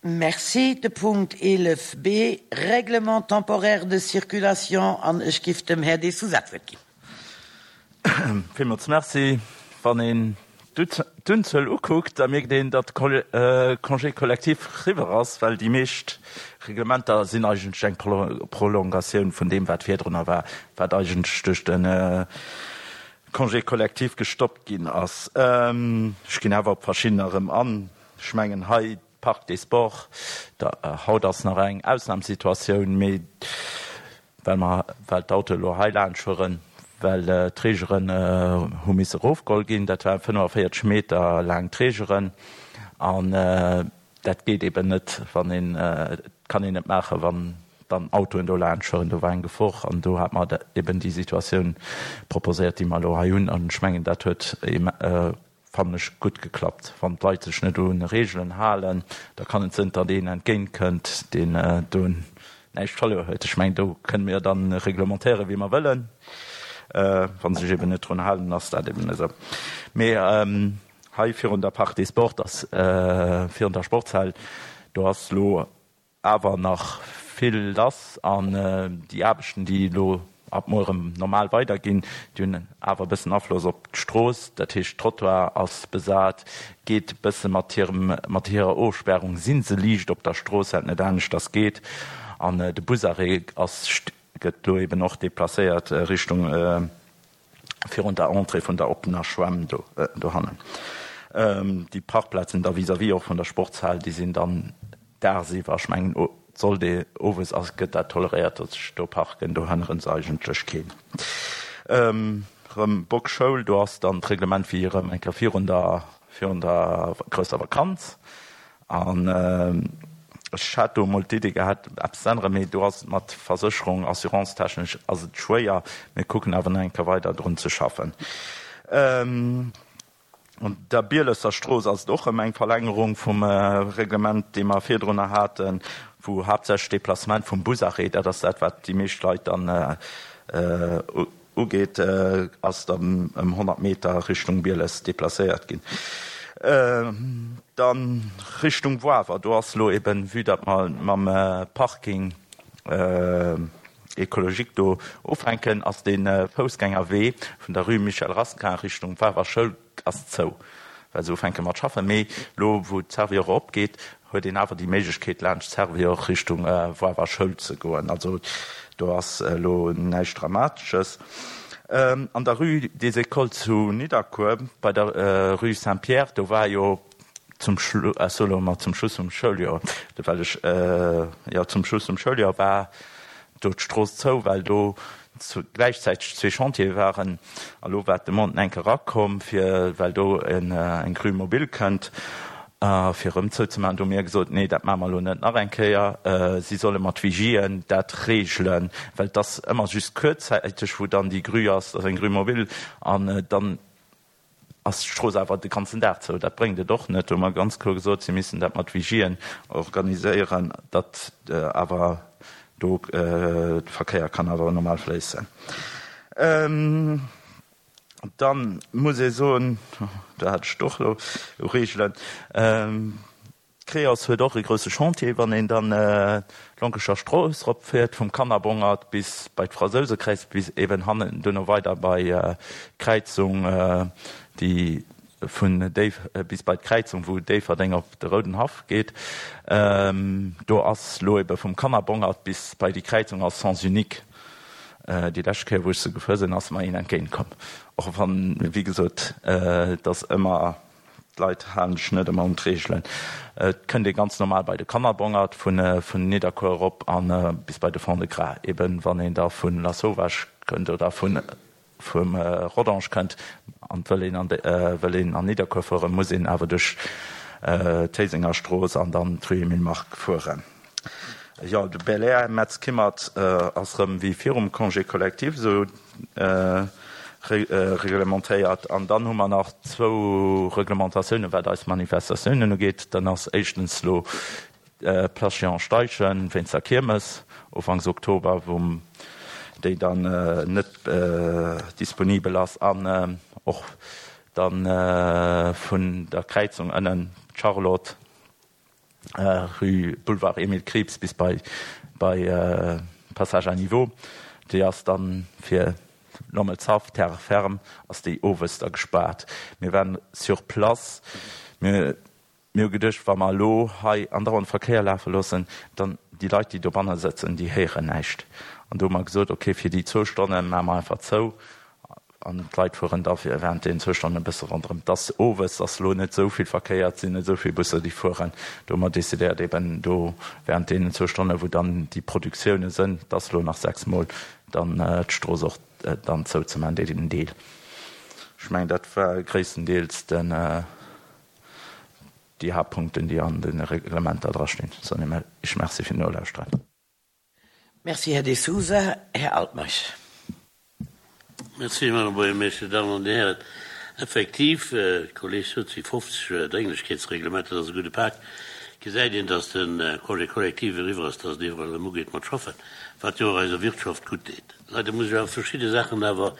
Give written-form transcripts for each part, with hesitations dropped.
Merci. De Punkt 11 b, Règlement temporaire de circulation, an ech giff dem Här De Sousa d'Wuert ginn. Villmools Merci. Wann een d'Unzuel ukuckt, da mierkt een, datt de Congé collectif riwwer ass, well déi meescht Reglementer sinn eigentlech eng Prolongatioun vun deem, wat virdrunner war, wat eigentlech duerch de Congé collectif gestoppt ginn ass. Ech ginn awer op verschiddener erëm an. Ech mengen hei Parc des Sports, da haut ass nach eng Ausnamssituatioun, mee well mer, well d'Autoe lo hei laanscht fueren, well d'Reegeren hu misse erofgeholl ginn, dat waren 45 Meter laang d'Reegeren an dat geet eben net, wann een, kann een net maachen, wann dann Autoen do laanscht fueren. Do war eng Gefor an do hat mer eben déi Situatioun proposéiert, déi mer elo hei hunn an ech mengen dat huet Fannen ech gutt geklappt. Wann d'Leit sech net un Reegelen halen, da kann et sënn, datt een entgéint kënnt, deen do näischt verluer huet. Ech mengen, do kënne mir dann reglementéieren, wéi mer wëllen. Wa se sech eben net drun halen, ass dat eben esou. Mee hei virun der Parc des Sports ass, virun der Sportshal, do ass elo awer nach vill lass an déi Aarbechten, déi elo ab muer erëm normal weiderginn, déi hunn awer e bëssen Afloss op d'Strooss. Dat heescht, Trottoir ass besat, geet e bësse mat hirem, mat hirer Ofspärung si se liicht op der Strooss, wat net aneschters geet. An de Busarrêt ass, gëtt elo eben och deplacéiert Richtung virun der Entrée vun der oppener Schwämm do dohannen. Déi Parkplazen da vis-à-vis och vun der Sportshal, déi sinn dann dagsiwwer, ech mengen et sollt ee owes ass, gëtt dat toleréiert, datt sech do parken, do hënnere se eigentlech keen. Erëm Bockschoul, do ass dann d'Reglement wéi erëm eng Kéier virun der virun der grousser Vakanz. An ech hat do emol d'Idee gehat, eppes ze änneren, mee do ass et mat Versécherung, assurance-technesch ass et schwéier. Mir kucken awer nach eng Kéier weider drun ze schaffen. An der Bielesser Strooss ass et och erëm eng Verlängerung vum Reglement, dee mer virdrunner haten, wou haaptsächlech Déplacement vum Busarrêt, dat ass dat, wat déi meescht Leit dann ugeet, ass dann ëm 100 Meter Richtung Bieles deplacéiert ginn. Dann Richtung Woawer, do ass elo eben, vue datt mer mam Parking écologique do ufänken, ass dee Foussgängerwee vun der Rue Michel Rasquin Richtung Woawer Schoul ass zou, well se ufänke mat schaffen. Mee elo wou d'Servior opgeet, huet een awer déi Méiglechkeet laanscht d'Servior Richtung Woawer Schoul ze goen. Also do ass elo näischt Dramatesches. An der Rue des Écoles zu Nidderkuer, bei der Rue Saint-Pierre, do war jo zum Schlu-, ech soe lo emol zum Schluss vum Schouljoer, well ech, jo zum Schluss vum Schouljoer war do d'Strooss zou, well do gläichzäiteg zwee Chantiere waren. A lo war d'Demande enk erakomm, fir, well do eng Grue mobile kënnt, fir erëm zouzemaachen. Do hu mir gesot, Nee, dat maache mer elo net nach eng Kéier. Si solle mat Vigien dat regelen, well et ass ëmmer just kuerzzäiteg, wou dann déi Grue ass, dat ass eng Grue mobile, an dann ass d'Strooss awer de ganzen Dag zou. Dat bréngt et och net. Do hu mer ganz kloer gesot, si missten dat mat Vigien organiséieren, datt awer do de Verkéier kann awer normal fléissen. Dann muss ee soen, do hat ech et och elo, u Reegelen, D'Creos huet och e grousse Chantier, wann een dann d'Lonkecher Strooss rop fiert, vum Kannerbongert bis bei d'Fransousekräiz, bis eben hannen duerno weider bei d'Kräizung, déi vun Déif bis bei d'Kräizung, wou Déifferdeng op de Roudenhaff geet. Do ass lo ebe vum Kannerbongert bis bei déi Kräizung ass Sens unique. Déi lescht Kéier, wou ech se gefuer sinn, ass mer een entgéint komm. Och wann, wéi gesot, et ass ëmmer. D'Leit halen sech net ëmmer un d'Reegelen. Et kënnt ee ganz normal bei de Kannerbongert vun Nidderkuer erop a bis bei de Fond-de-Gras. Eben wann een da vu Lasauvage kënnt oder vum Rodange kënnt an wëll een an wëll een an Nidderkuer fueren, muss een awer duerch d'Héisenger Strooss an dann d'Rue Emile Mark fueren. Jo, de Belair Metz-Kimmert ass rëm wéi virum Congé collectif esou reglementéiert. An dann hu mer nach zwou Reglementatiounen, wat eis Manifestatiounen ugeet. Dann ass éischtens elo d'Place Jean Steichen wéinst der Kiermes ufanks Oktober, wou déi dann net disponibel ass. An och dann vun der Kräizung ënnen d'Charlotte. Rue Boulevard Emile Krieps bis bei bei Passage à niveau. Déi ass dann fir Lommelshaff, Terre ferme ass déi owes da gespaart. Mir waren sur place. Mir hu geduecht, wa mer elo hei andauernd Verkéier lafe loossen, dann déi Leit, déi dobanne sëtzen, déi héieren näischt. An do hu mer gesot, okay, fir déi zwou Stonne maache mer einfach zou an d'Leit fueren da während deenen zwou Stonnen e bësse ronderëm. Et ass owes, ass elo net esou vill Verkéier, et sinn net esou vill Busser, déi fueren. Do hu mer decidéiert, eben do während deenen zwou Stonnen, wou dann déi Produktioune sënn, et ass elo nach sechsmol, dann d'Strooss och dann zouzemaachen, deen Deel. Ech mengen, dat war gréisstendeels den, déi Haaptpunkten, déi an de Reglementer drastinn. Soen ech Merci fir d'Nolauschteren. Merci, Här De Sousa. Här Altmeisch. Merci, Madame Buergermeeschter. Dir Dammen an Dir Hären, effektiv, de Kolleg sot, et si 50 Drénglechkeetsreglementer, dat ass e gudde Pak. Gesäit een, dass de Congé collectif eriwwer ass, dass et iwwerall erëm ugeet mat schaffen, wat jo och eiser Wirtschaft gutt deet. Leider muss ech awer verschidde Saachen awer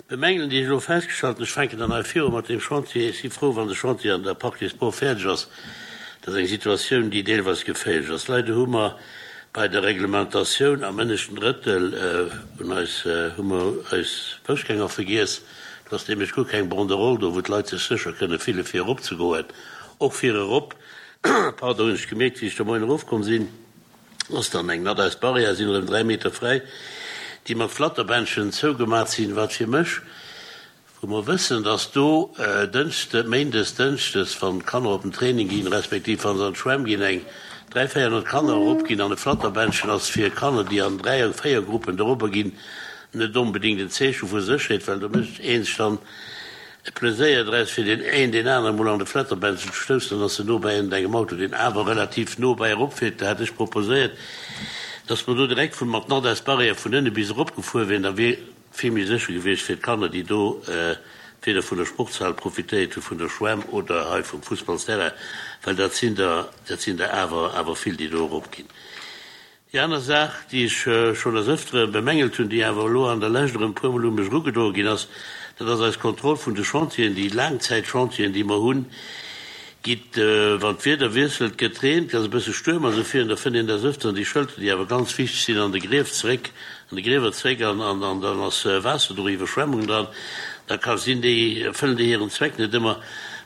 bemängelen, déi ech elo festgestallt hunn. Ech fänken dann hei viru mat deem Chantier. Ech si frou, wann de Chantier an der Parc des Sports fäerdeg ass. Dat ass eng Situatioun, déi deelweis geféierlech ass. Leider hu mer bei der Reglementatioun am ënneschten Drëttel un eis, hu mer eis Foussgänger vergiess. Do ass nämlech guer keng Banderole do, wou d'Leit sech sécher kënne fille fir eropzegoen. Och fir erop, pardon, hunn ech gemierkt, wéi ech de Moien erofkomm sinn, ass dann eng Nadeisbarrière, sinn erëm 3 Meter fräi, déi mat Flatterbändchen zougemat sinn, wat fir mech, wou mer wëssen, dass do Dënschde, Méindes, Dënschdes, wann d'Kanner op den Training ginn, respektiv wa se an d'Schwämm ginn, eng 300, 400 Kanner eropginn an e Flatterbändchen ass fir Kanner, déi an Dräier-, Véiergruppen dorobber ginn, net onbedéngt en Zeeche vu Sécherheet, well do mécht ee sech dann E Pleséier draus fir deen een deen anere mol an de Flatterbänzel ze stoussen, dann ass en no bäi ënnert engem Auto, deen awer relativ no bäi eropfiert. Da hat ech proposéiert, dass mer do direkt vun mat Nordest-Barrière vun ënne bis erop gefuer wieren, da wier vill méi sécher gewiescht fir d'Kanner, déi do weder vun der Sportshal profitéiert hu, vun der Schwämm oder hei vum Fussballsterrain, well dat sinn der, dat sinn der awer awer vill, déi do eropginn. Déi aner Saach, déi ech schonn des Ëftere bemängelt hunn, déi awer elo an der Lescht erëm e puermol u mech erugedroe ginn ass, dat ass eis Kontroll vun de Chantieren, déi Laangzäitchantieren, déi mer hunn, gitt, wann d'Wieder wiesselt, gëtt reent, ass e bësse Stuerm a sou virun, da fënnt een des Ëfteren déi Schëlter, déi awer ganz wichteg sinn, an de Grief zeréck, an de Griewer zeréck an an dann ass Waasser do, Iwwerschwemmung dran, da ka sinn, déi erfëllen déi hiren Zweck net ëmmer.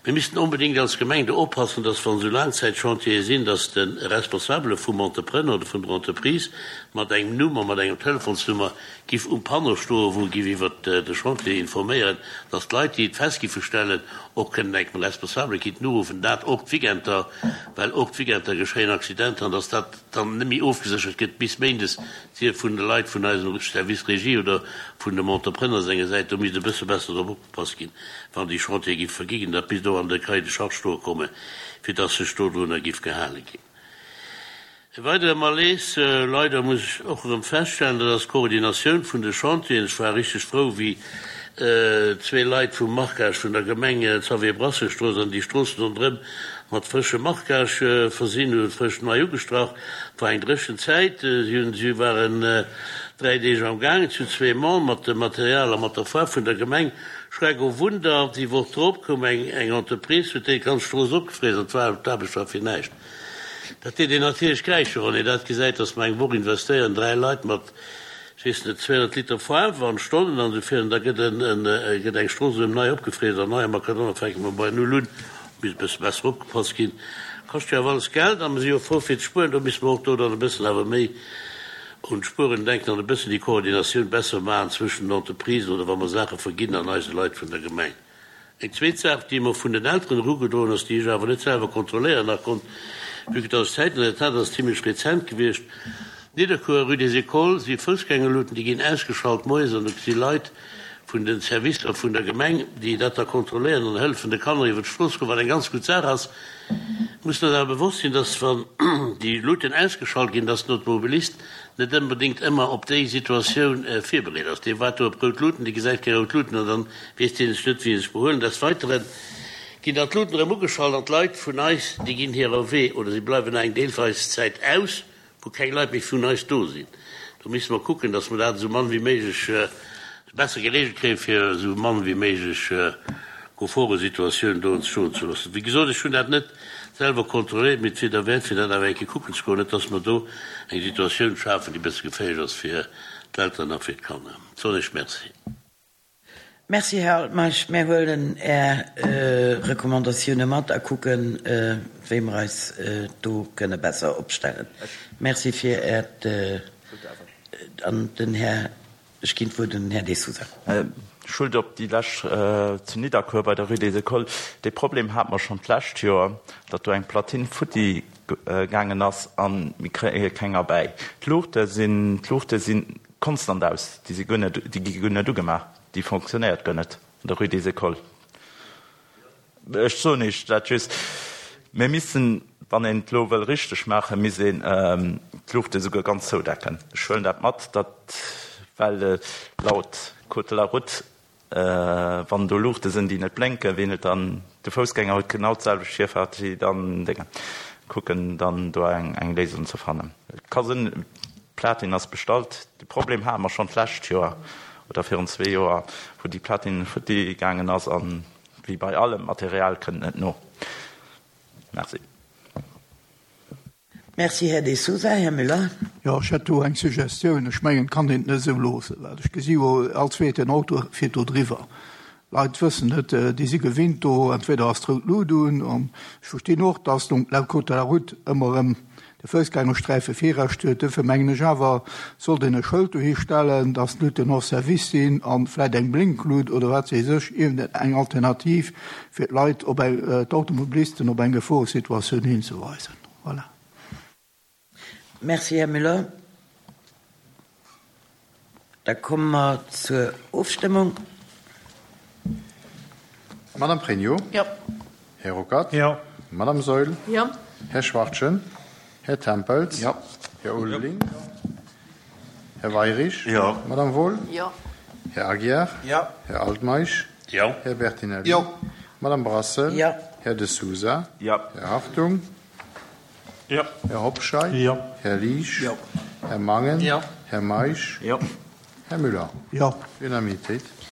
Mir missten onbedéngt als Gemeng do oppassen, dass, wann esou Laangzäitchantiere sinn, dass de Responsabele vum Entrepreneur oder vun der Entreprise mat engem Numm a mat engem Telefonsnummer giff um Panneau stoen, wou e giff iwwert de Chantier informéieren, dass d'Leit, déi et fest giffe stellen, och kënnen engem Responsabele kinnten uruffen, dat och d'Weekender, well och d'Weekender geschéien Accidenter, an dass dat dann net méi ofgeséchert gëtt bis méindes, sief vun de Leit vun eisem Service Régie oder vun dem Entrepreneur senger Säit. Do misst e bësse besser drop opgepasst ginn, wann déi Chantiere giff vergi ginn, datt bis do an de Cahier de charges stoe komme fir datt sech dodrunner giff gehale ginn. E weidere Malaise, leider muss ech och erëm feststellen, dat ass d'Koordinatioun vun de Chantieren. Ech war richteg frou, wéi zwee Leit vum Marquage vun der Gemeng d'Xavier Brasseur Strooss an déi Stroossen ronderëm mat frëschem Marquage versinn hunn, frësch nei ugestrach. Et war eng dréchen Zäit, si hunn, si waren 3 Deeg am Gaang, zu zwee Mann, mat dem Material a mat der Faarf vun der Gemeng. Schreck o Wunder, déi Woch drop koum eng eng Entreprise, huet déi ganz Strooss opgefriess an d'war d'Aarbecht war fir näischt. Dat deet een natierlech kräischen, wann een dat gesäit, dass mer eng Woch investéieren, 3 Leit mat, ech weess net, 200 Liter Faarf an Stonnen an esou virun, da gëtt en gëtt eng Strooss erëm nei opgefriess an nei a Makadam, da fänke mer bei Null un. Misst e bësse besser opgepasst ginn. Kascht jo awer alles Geld a mer si jo frou fir ze spueren, do misste mer och do dann e bëssen awer méi un d'Spueren denken an e bëssen déi Koordinatioun besser maachen zwëschen den Entreprisen oder wa mer Saache verginn an eise Leit vun der Gemeng. Eng zweet Saach, déi mer vun den Elteren erugedroen ass, déi ech awer net selwer kontrolléieren nach konnt, vue que dass ech Zäiten net hat, ass zimlech rezent gewiescht, Nidderkuer, Rue des Écoles, si Foussgängerluten, déi ginn ausgeschalt moies an do si Leit vun den Servicer vun der Gemeng, déi dat da kontrolléieren an hëllefen de Kanner iwwer d'Strooss goen, wat eng ganz gutt Saach ass. Mussen eis awer bewosst sinn, dass wann déi Luuten ausgeschalt ginn, dass den Automobilist net ënbedéngt ëmmer op déi Situatioun virbereet ass. Dee waart do op rout Luuten, dee gesäit keng rout Luuten an dann weess dee sech net wéi e sech behuelen. Des Weiteren ginn dann d'Luuten erëm ugeschalt an d'Leit vun eis, déi ginn hirer Wee oder si bleiwen nach eng deelweis Zäit aus. wou keng Leit méi vun eis do sinn. Do misste mer kucken, datt mer dat esou mann wéi méiglech besser geregelt kréien, fir esou mann wéi méiglech Geforesituatiounen do entstoen ze loossen. Wéi gesot, ech hunn dat net. selwer kontrolléiert, mee et wier derwäert, fir dat awer eng Kéier kucken ze goen, net dass mer do eng Situatioun schafen, déi e bësse geféierlech ass fir d'Elteren a fir d'Kanner. Soen ech Merci. Merci, Här Altmeisch. Mär huelen Är Recommandatioune mat a kucken, wéi mer eis do kënne besser opstellen. Merci fir Äert. An den Här, ech ginn d'Wuert un den Här De Sousa. Schuld op déi lescht zu Nidderkuer bei der Rue des Écoles. Dee Problem hate mer schonn d'lescht Joer, datt do eng Platine futti gaangen ass a mir kréie keng erbäi. D'Luuchte sinn, d'Luuchte sinn konstant aus, déi si guer net, déi gi guer net ugemaach, déi fonctionnéiert guer net an der Rue des Écoles. Ech soen Iech dat just, mir missten, wann een et elo wëll richteg maachen, misst een d'Luuchte souguer ganz zoudecken. Ech huelen dat mat, datt, well laut Code de la route, wann do Luuchte sinn, déi net blénken, wien huet dann, de Foussgänger huet genau d'selwecht Virfaart wéi dann Déngen. Kucken dann do eng Léisung ze fannen. Et ka sinn, d'Platin ass bestallt. De Problem hate mer schonn d'lescht Joer oder virun zwee Joer, wou déi Platine futti gaangen ass an wéi bei allem, d'Material kënnt net no. Merci. Merci, Här De Sousa. Här Müller. Jo, ech hätt do eng Suggestioun. Ech mengen, et kann een et net esou loossen, well ech gesi jo, all zweeten Auto fiert do driwwer. D'Leit wëssen net, déi si gewinnt do, entweder ass d'rout Lut un, an ech verstinn och, dass laut Code de la route ëmmer erëm de Foussgängersträife Virrecht huet. Duerfir mengen ech awer, sollt een e Schëld dohi stellen, dass d'Luuten hors service sinn a vläicht eng Blinklut oder wat weess ech, iergend eng Alternativ, fir d'Leit op eng, d'Automobilisten op eng Geforesituatioun hinzeweisen. Voilà. Merci, Här Müller. Da komme mer zur Ofstëmmung. Madame Pregno. Jo. Här Ruckert. Jo. Madame Saeul. Jo. Här Schwachtgen. Här Tempels. Jo. Här Ulveling. Här Weirich. Jo. Madame Wohl. Jo. Här Aguiar. Jo. Här Altmeisch. Jo. Här Bertinelli. Jo. Madame Brassel. Jo. Här De Sousa. Jo. Här Hartung. Jo. Här Hobscheit. Jo. Här Liesch. Jo. Här Mangen. Jo. Här Meisch. Jo. Här Müller. Jo. Unanimitéit.